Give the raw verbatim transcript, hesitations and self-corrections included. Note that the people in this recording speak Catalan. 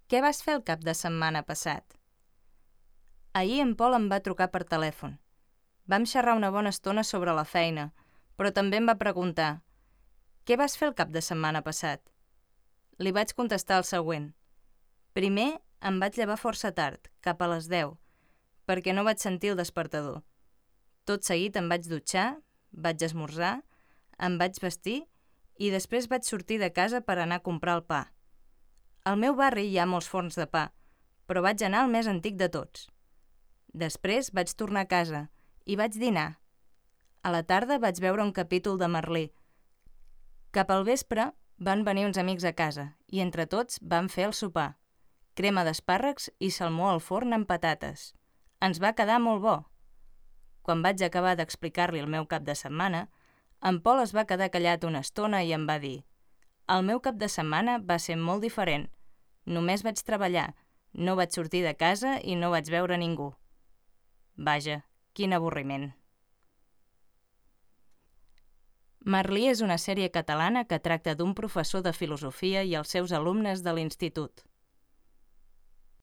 Què vas fer el cap de setmana passat? Ahir en Pol em va trucar per telèfon. Vam xerrar una bona estona sobre la feina, però també em va preguntar «Què vas fer el cap de setmana passat?» Li vaig contestar el següent. Primer em vaig llevar força tard, cap a les deu, perquè no vaig sentir el despertador. Tot seguit em vaig dutxar, vaig esmorzar, em vaig vestir i després vaig sortir de casa per anar a comprar el pa. Al meu barri hi ha molts forns de pa, però vaig anar al més antic de tots. Després vaig tornar a casa i vaig dinar. A la tarda vaig veure un capítol de Merlí. Cap al vespre van venir uns amics a casa i entre tots vam fer el sopar. Crema d'espàrrecs i salmó al forn amb patates. Ens va quedar molt bo. Quan vaig acabar d'explicar-li el meu cap de setmana, en Pol es va quedar callat una estona i em va dir «El meu cap de setmana va ser molt diferent. Només vaig treballar, no vaig sortir de casa i no vaig veure ningú». Vaja, quin avorriment. Merlí és una sèrie catalana que tracta d'un professor de filosofia i els seus alumnes de l'institut.